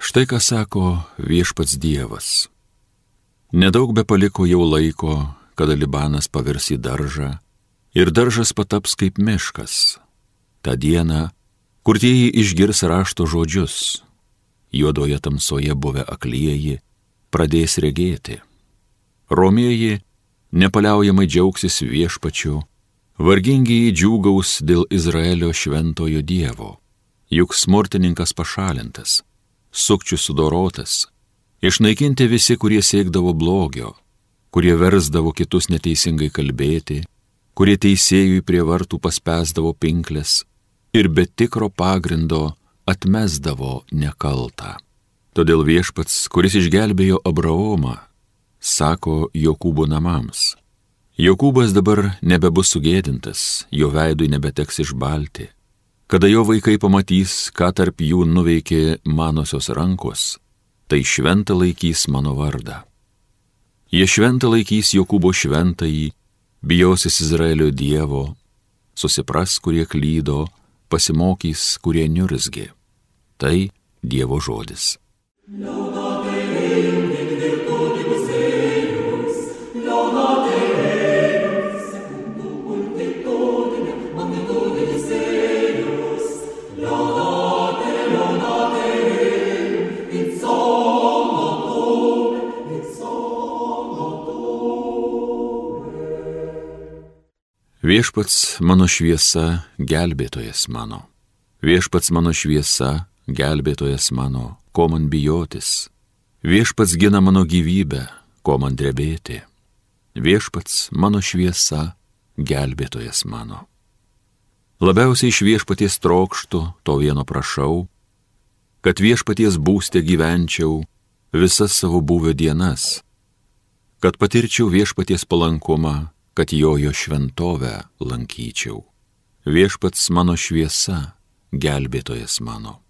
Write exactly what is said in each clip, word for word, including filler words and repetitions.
Štai ką sako viešpats Dievas. Nedaug be paliko jau laiko, kada Libanas pavirs į daržą ir daržas pataps kaip miškas. Ta diena, kur tieji išgirs rašto žodžius, juodoje tamsoje buvę aklieji pradės regėti. Romieji nepaliaujamai džiaugsis viešpačiu, vargingieji džiūgaus dėl Izraelio šventojo Dievo, juk smurtininkas pašalintas, sukčius sudorotas, išnaikinti visi, kurie siekdavo blogio, kurie versdavo kitus neteisingai kalbėti, kurie teisėjui prie vartų paspęsdavo pinkles ir be tikro pagrindo atmesdavo nekaltą. Todėl viešpats, kuris išgelbėjo Abraomą, sako Jokūbo namams: Jokūbas dabar nebebus sugėdintas, jo veidui nebeteks išbalti. Kada jo vaikai pamatys, ką tarp jų nuveikė manosios rankos, tai šventą laikys mano vardą. Jie šventą laikys Jokūbo šventąjį, bijosis Izraelio Dievo, susipras, kurie klydo, pasimokys, kurie niurzgė. Tai Dievo žodis. Viešpats mano šviesa, gelbėtojas mano. Viešpats mano šviesa, gelbėtojas mano, ko man bijotis. Viešpats gina mano gyvybę, ko man drebėti. Viešpats mano šviesa, gelbėtojas mano. Labiausiai iš viešpaties trokštu, to vieno prašau, kad viešpaties būste gyvenčiau visas savo buvę dienas, kad patirčiau viešpaties palankumą, kad jojo šventovę lankyčiau. Viešpats mano šviesa, gelbėtojas mano.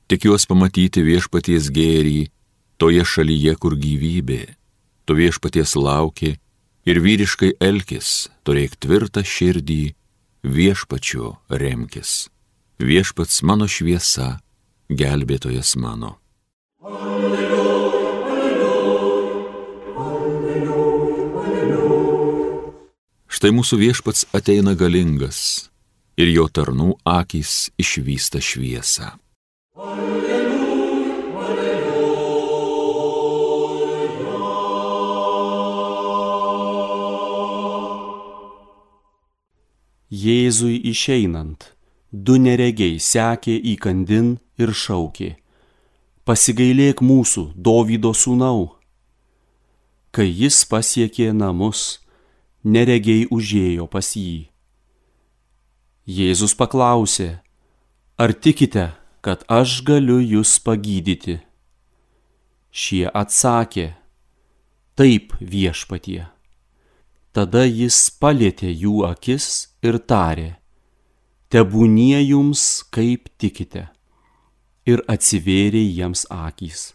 Tikiuos pamatyti viešpaties gėrį toje šalyje, kur gyvybė. Tu viešpaties lauki ir vyriškai elkis, turėk tvirtą širdį, viešpačiu remkis. Viešpats mano šviesa, gelbėtojas mano. Štai mūsų viešpats ateina galingas ir jo tarnų akys išvysta šviesą. Alleluja, alleluja. Jėzui išeinant, du neregiai sekė įkandin ir šaukė: Pasigailėk mūsų, Dovydo sūnau. Kai jis pasiekė namus, neregiai užėjo pas jį. Jėzus paklausė: Ar tikite, kad aš galiu jus pagydyti? Šie atsakė: Taip, viešpatie. Tada jis palietė jų akis ir tarė: Tebūnie jums, kaip tikite. Ir atsivėrė jiems akys.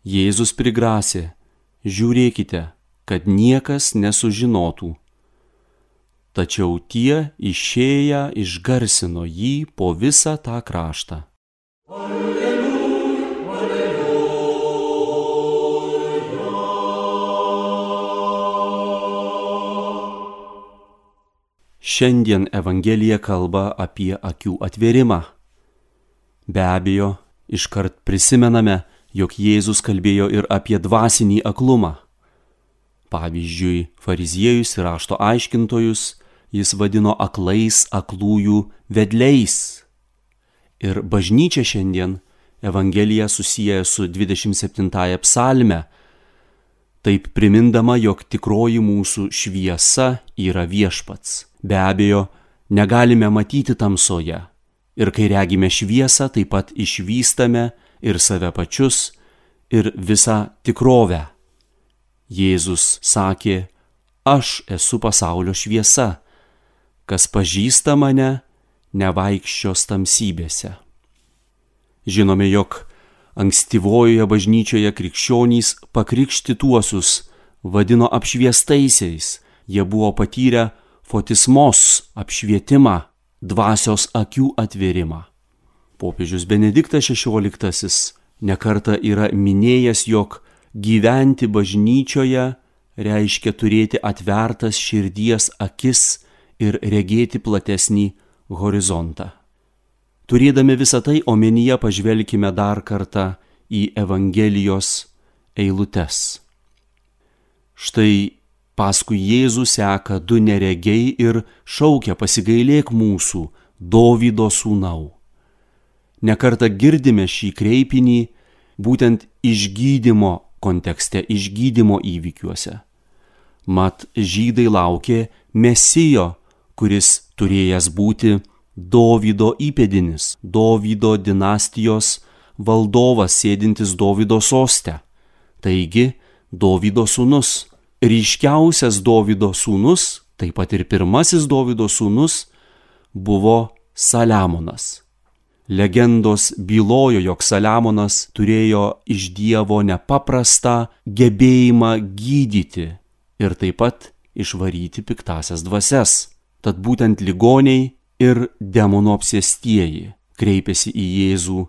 Jėzus prigrasė: Žiūrėkite, kad niekas nesužinotų. Tačiau tie išėję išgarsino jį po visą tą kraštą. Alleluja, alleluja. Šiandien Evangelija kalba apie akių atvėrimą. Be abejo, iškart prisimename, jog Jėzus kalbėjo ir apie dvasinį aklumą. Pavyzdžiui, fariziejus ir rašto aiškintojus jis vadino aklais aklųjų vedliais. Ir bažnyčia šiandien Evangeliją susieja su dvidešimt septintąja psalme, taip primindama, jog tikroji mūsų šviesa yra viešpats. Be abejo, negalime matyti tamsoje. Ir kai regime šviesą, taip pat išvystame ir save pačius, ir visą tikrovę. Jėzus sakė: Aš esu pasaulio šviesa, kas pažįsta mane, nevaikščios tamsybėse. Žinome, jog ankstyvojoje bažnyčioje krikščionys pakrikštytuosius vadino apšviestaisiais, jie buvo patyrę fotismos apšvietimą, dvasios akių atvėrimą. Popiežius Benediktas šešioliktasis nekartą yra minėjęs, jog gyventi bažnyčioje reiškia turėti atvertas širdies akis ir regėti platesnį horizontą. Turėdami visą tai omenyje, pažvelkime dar kartą į Evangelijos eilutes. Štai paskui Jėzų seka du neregiai ir šaukia: pasigailėk mūsų, Dovydo sūnau. Nekartą girdime šį kreipinį būtent išgydymo kontekste, išgydymo įvykiuose. Mat žydai laukė Mesijo, kuris turėjęs būti Dovydo įpėdinis, Dovydo dinastijos valdovas, sėdintis Dovydo soste. Taigi Dovydo sūnus, ryškiausias Dovydo sūnus, taip pat ir pirmasis Dovydo sūnus, buvo Saliamonas. Legendos bylojo, jog Saliamonas turėjo iš Dievo nepaprastą gebėjimą gydyti ir taip pat išvaryti piktasias dvasias. Tad būtent ligoniai ir demonų apsėstieji kreipėsi į Jėzų: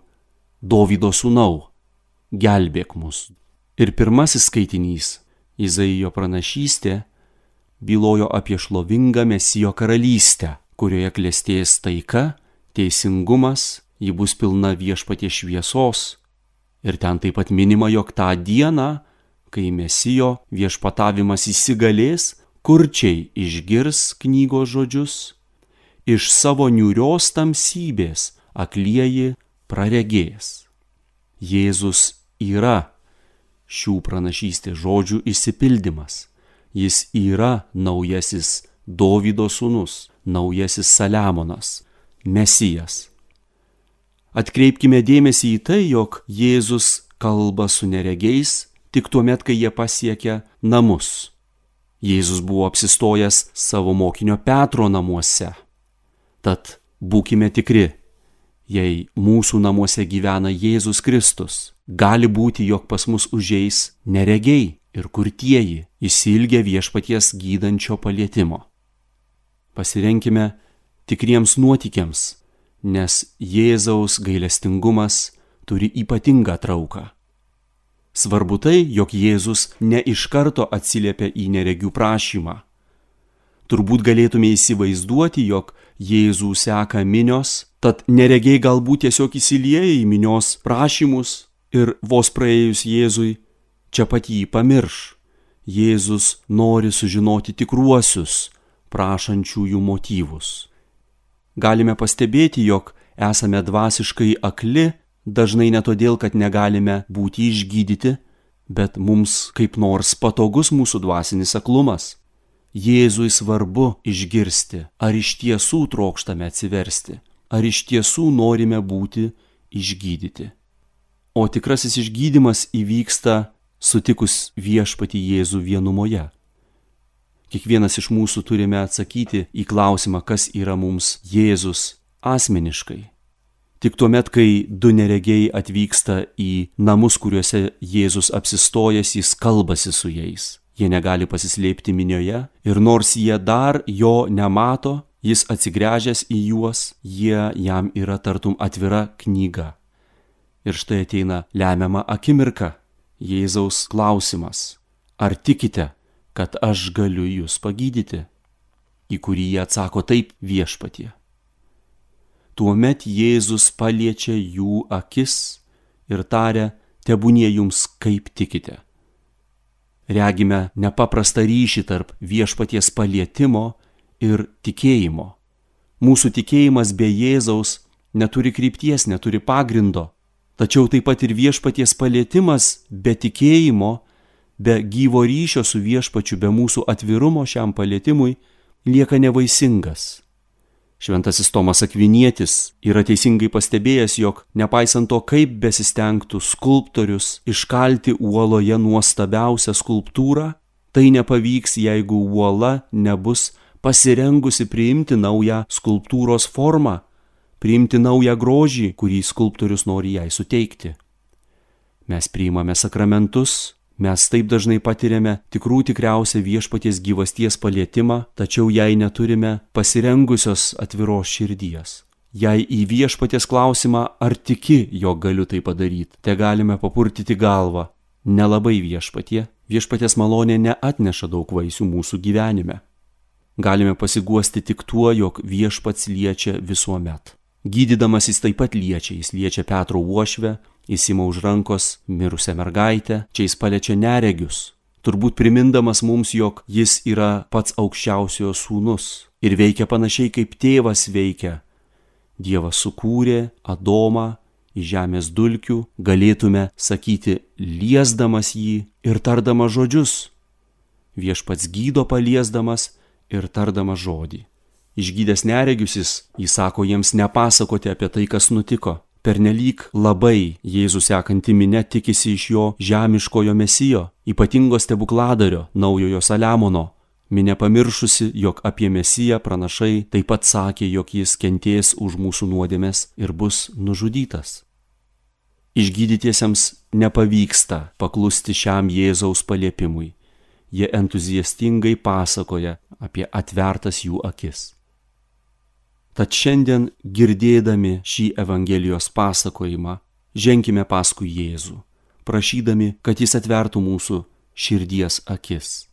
Dovydo sūnau, gelbėk mus. Ir pirmasis skaitinys, Izaijo pranašystė, bylojo apie šlovingą Mesijo karalystę, kurioje klestės taika, teisingumas, ji bus pilna Viešpaties šviesos. Ir ten taip pat minima, jog tą dieną, kai Mesijo viešpatavimas įsigalės, kurčiai išgirs knygos žodžius, iš savo niūrios tamsybės aklieji praregės. Jėzus yra šių pranašystės žodžių išsipildymas. Jis yra naujasis Dovydo sūnus, naujasis Saliamonas, Mesijas. Atkreipkime dėmesį į tai, jog Jėzus kalba su neregiais tik tuomet, kai jie pasiekia namus. Jėzus buvo apsistojęs savo mokinio Petro namuose. Tad būkime tikri, jei mūsų namuose gyvena Jėzus Kristus, gali būti, jog pas mus užeis neregiai ir kurtieji, išsiilgę Viešpaties gydančio palietimo. Pasirenkime tikriems nuotykiams, nes Jėzaus gailestingumas turi ypatingą trauką. Svarbu tai, jog Jėzus ne iš karto atsiliepia į neregių prašymą. Turbūt galėtume įsivaizduoti, jog Jėzų seka minios, tad neregiai galbūt tiesiog įsilieja į minios prašymus ir vos praėjus Jėzui, čia pat jį pamirš. Jėzus nori sužinoti tikruosius prašančiųjų motyvus. Galime pastebėti, jog esame dvasiškai akli, dažnai ne todėl, kad negalime būti išgydyti, bet mums kaip nors patogus mūsų dvasinis aklumas. Jėzui svarbu išgirsti, ar iš tiesų trokštame atsiversti, ar iš tiesų norime būti išgydyti. O tikrasis išgydymas įvyksta sutikus Viešpatį Jėzų vienumoje. Kiekvienas iš mūsų turime atsakyti į klausimą, kas yra mums Jėzus asmeniškai. Tik tuomet, kai du neregiai atvyksta į namus, kuriuose Jėzus apsistojęs, jis kalbasi su jais. Jie negali pasislėpti minioje ir nors jie dar jo nemato, jis atsigręžęs į juos, jie jam yra tartum atvira knyga. Ir štai ateina lemiama akimirka, Jėzaus klausimas: ar tikite, kad aš galiu jūs pagydyti? Į kurį jie atsako: taip, Viešpatie. Tuomet Jėzus paliečia jų akis ir taria: tebūnie jums kaip tikite. Regime nepaprastą ryšį tarp Viešpaties palietimo ir tikėjimo. Mūsų tikėjimas be Jėzaus neturi krypties, neturi pagrindo. Tačiau taip pat ir Viešpaties palietimas be tikėjimo, be gyvo ryšio su Viešpačiu, be mūsų atvirumo šiam palietimui lieka nevaisingas. Šventasis Tomas Akvinietis yra teisingai pastebėjęs, jog nepaisant to, kaip besistengtų skulptorius iškalti uoloje nuostabiausią skulptūrą, tai nepavyks, jeigu uola nebus pasirengusi priimti naują skulptūros formą, priimti naują grožį, kurį skulptorius nori jai suteikti. Mes priimame sakramentus, mes taip dažnai patiriame tikrų tikriausią Viešpaties gyvasties palietimą, tačiau jei neturime pasirengusios atviros širdies. Jei į viešpaties klausimą, ar tiki, jog galiu tai padaryti, te galime papurtyti galvą. Nelabai viešpatie, viešpaties malonė neatneša daug vaisių mūsų gyvenime. Galime pasiguosti tik tuo, jog viešpats liečia visuomet. Gydydamas jis taip pat liečia, jis liečia Petro uošvę, jis ima už rankos mirusią mergaitę, čia jis paliečia neregius, turbūt primindamas mums, jog jis yra pats aukščiausiojo sūnus ir veikia panašiai kaip tėvas veikia. Dievas sukūrė Adomą iš žemės dulkių, galėtume sakyti, liesdamas jį ir tardamas žodžius. Viešpats gydo paliesdamas ir tardamas žodį. Išgydęs neregius jis įsako jiems nepasakoti apie tai, kas nutiko. Pernelyg labai Jėzų sekanti minia tikisi iš jo žemiškojo mesijo, ypatingo stebukladario, naujojo Saliamono. Minia pamiršusi, jog apie mesiją pranašai taip pat sakė, jog jis kentės už mūsų nuodėmes ir bus nužudytas. Išgydytiesiems nepavyksta paklusti šiam Jėzaus paliepimui. Jie entuziastingai pasakoja apie atvertas jų akis. Tad šiandien, girdėdami šį Evangelijos pasakojimą, ženkime paskui Jėzų, prašydami, kad jis atvertų mūsų širdies akis.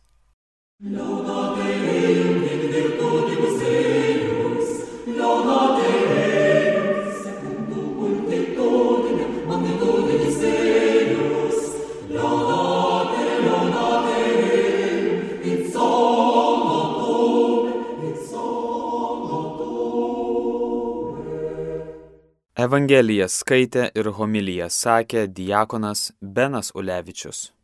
Evangeliją skaitė ir homiliją sakė diakonas Benas Ulevičius.